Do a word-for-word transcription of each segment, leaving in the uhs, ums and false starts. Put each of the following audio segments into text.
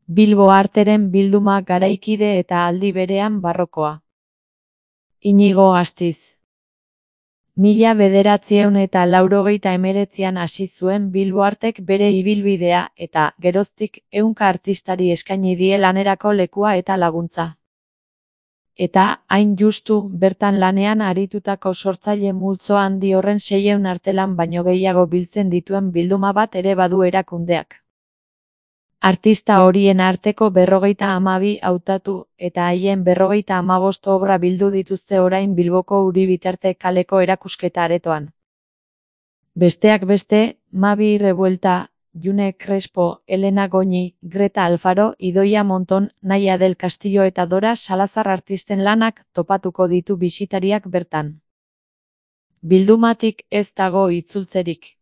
Bilbo Arteren bilduma garaikide eta aldi berean barrokoa. Inigo Astiz. Mila bederatziehun eta laurogeita hemeretzian hasi zuen Bilbo Artek bere ibilbidea eta, geroztik, ehunka artistari eskaini die lanerako lekua eta laguntza. Eta, hain justu, bertan lanean aritutako sortzaile multzo handi horren seiehun artelan baino gehiago biltzen dituen bilduma bat ere badu erakundeak. Artista horien arteko berrogeita hamabi hautatu eta haien berrogeita hamabost obra bildu dituzte orain Bilboko Uribitarte kaleko erakusketa aretoan. Besteak beste, Mavi Revuelta, June Crespo, Elena Goñi, Greta Alfaro, Idoia Monton, Naia del Castillo eta Dora Salazar artisten lanak topatuko ditu bisitariak bertan. Bildumatik ez dago itzultzerik.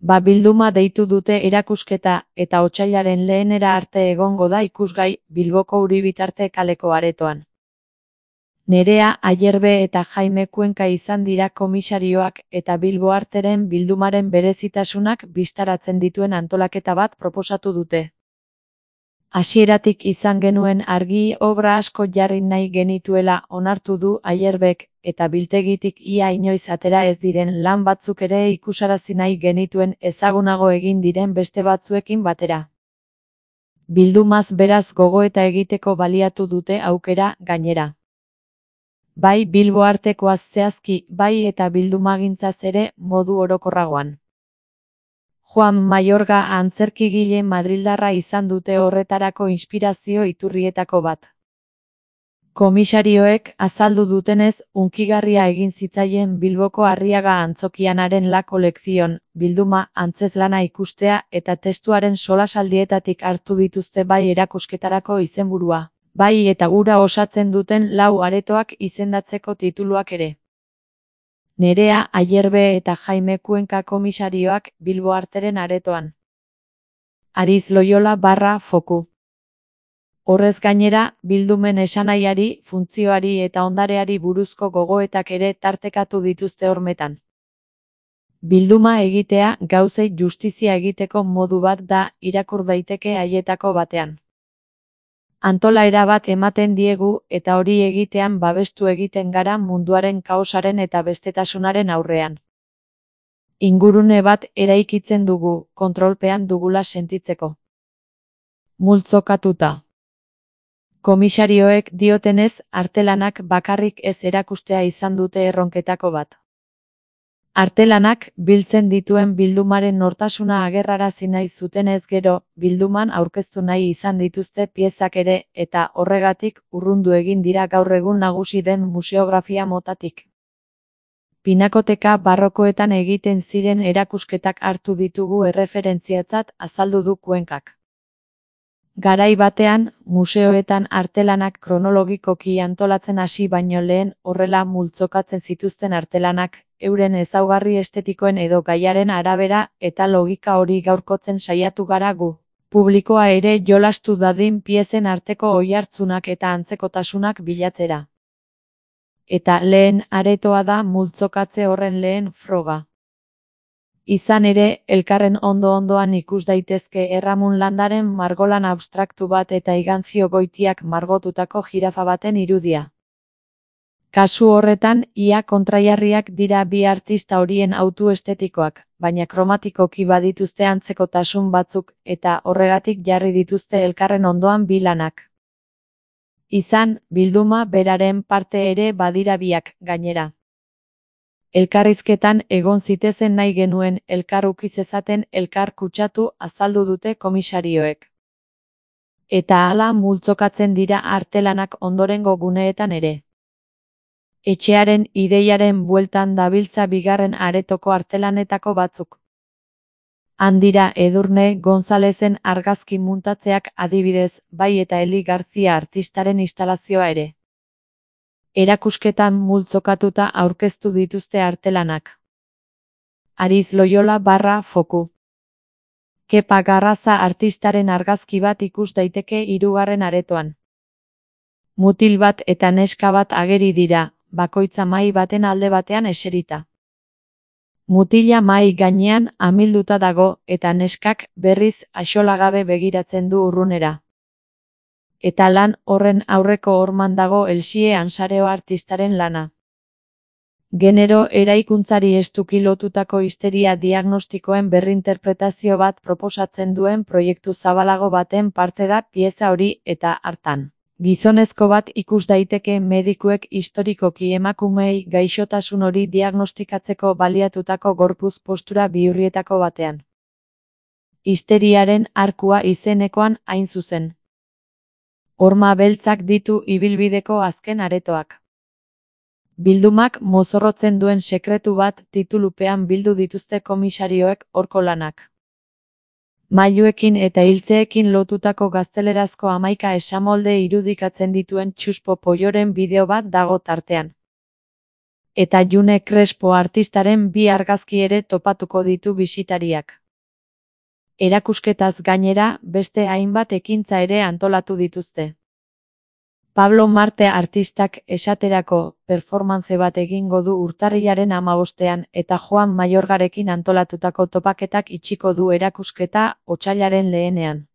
Ba bilduma deitu dute erakusketa eta otsailaren lehenera arte egongo da ikusgai Bilboko Uribitarte kaleko aretoan. Nerea Ayerbe eta Jaime Kuenka izan dira komisarioak eta Bilbo Arteren bildumaren berezitasunak bistaratzen dituen antolaketa bat proposatu dute. Hasieratik izan genuen argi obra asko jarri nahi genituela onartu du Ayerbek, eta biltegitik ia inoiz atera ez diren lan batzuk ere ikusarazi nahi genituen ezagunago egin diren beste batzuekin batera. Bildumaz beraz gogoeta egiteko baliatu dute aukera, gainera. Bai Bilbo Artekoaz zehazki, bai eta bildumagintzaz ere modu orokorragoan. Juan Mayorga antzerkigile madrildarra izan dute horretarako inspirazio iturrietako bat. Komisarioek azaldu dutenez, hunkigarria egin zitzaien Bilboko Arriaga Antzokianaren La Kolekzion, bilduma, antzeslana ikustea eta testuaren solasaldietatik hartu dituzte bai erakusketarako izenburua, bai eta hura osatzen duten lau aretoak izendatzeko tituluak ere. Nerea Ayerbe eta Jaime Kuenka komisarioak Bilbo Arteren aretoan. Ariz Loyola barra foku. Horrez gainera, bildumen esanaiari, funtzioari eta ondareari buruzko gogoetak ere tartekatu dituzte hormetan. Bilduma egitea gauzei justizia egiteko modu bat da irakur daiteke haietako batean. Antolaera bat ematen diegu eta hori egitean babestu egiten gara munduaren kaosaren eta bestetasunaren aurrean. Ingurune bat eraikitzen dugu, kontrolpean dugula sentitzeko. Multzokatuta. Komisarioek diotenez, artelanak bakarrik ez erakustea izan dute erronketako bat. Artelanak biltzen dituen bildumaren nortasuna agerrarazi nahi zutenez gero, bilduman aurkeztu nahi izan dituzte piezak ere eta horregatik urrundu egin dira gaur egun nagusi den museografia motatik. Pinakoteka barrokoetan egiten ziren erakusketak hartu ditugu erreferentziatzat azaldu du Kuenkak. Garai batean, museoetan artelanak kronologikoki antolatzen hasi baino lehen horrela multzokatzen zituzten artelanak, euren ezaugarri estetikoen edo gaiaren arabera eta logika hori gaurkotzen saiatu gara gu. Publikoa ere jolastu dadin piezen arteko oihartzunak eta antzekotasunak bilatzera. Eta lehen aretoa da multzokatze horren lehen froga. Izan ere, elkarren ondo-ondoan ikus daitezke Erramun Landaren margolan abstraktu bat eta Iganzio Goitiak margotutako jirafa baten irudia. Kasu horretan, ia kontraiarriak dira bi artista horien autu estetikoak, baina kromatikoki badituzte antzekotasun batzuk eta horregatik jarri dituzte elkarren ondoan bi lanak. Izan, bilduma beraren parte ere badira biak, gainera. Elkarrizketan egon zitezen nahi genuen elkar uki zezaten elkar kutsatu azaldu dute komisarioek. Eta hala multzokatzen dira artelanak ondorengo guneetan ere. Etxearen ideiaren bueltan dabiltza bigarren aretoko artelanetako batzuk. Handira Edurne Gonzalezen argazki muntatzeak adibidez, bai eta Eli Garzia artistaren instalazioa ere. Erakusketan multzokatuta aurkeztu dituzte artelanak. Ariz Loyola barra foku. Kepa Garraza artistaren argazki bat ikus daiteke hirugarren aretoan. Mutil bat eta neska bat ageri dira, bakoitza mahai baten alde batean eserita. Mutila mahai gainean amilduta dago eta neskak berriz axolagabe begiratzen du urrunera. Eta lan horren aurreko horman dago Elsie Ansareo artistaren lana. Genero eraikuntzari estuki lotutako histeria diagnostikoen berrinterpretazio bat proposatzen duen proiektu zabalago baten parte da pieza hori eta hartan. Gizonezko bat ikus daiteke medikuek historikoki emakumeei gaixotasun hori diagnostikatzeko baliatutako gorputz postura bihurrietako batean. Histeriaren arkua izenekoan hain zuzen. Horma beltzak ditu ibilbideko azken aretoak. Bildumak mozorrotzen duen sekretu bat titulupean bildu dituzte komisarioek horko lanak. Mailuekin eta hiltzeekin lotutako gaztelerazko hamaika esamolde irudikatzen dituen Txuspo Polloren bideo bat dago tartean. Eta June Crespo artistaren bi argazki ere topatuko ditu bisitariak. Erakusketaz gainera, beste hainbat ekintza ere antolatu dituzte. Pablo Marte artistak esaterako performance bat egingo du urtarrilaren hamabostean eta Joan Mayorgarekin antolatutako topaketak itxiko du erakusketa otsailaren lehenean.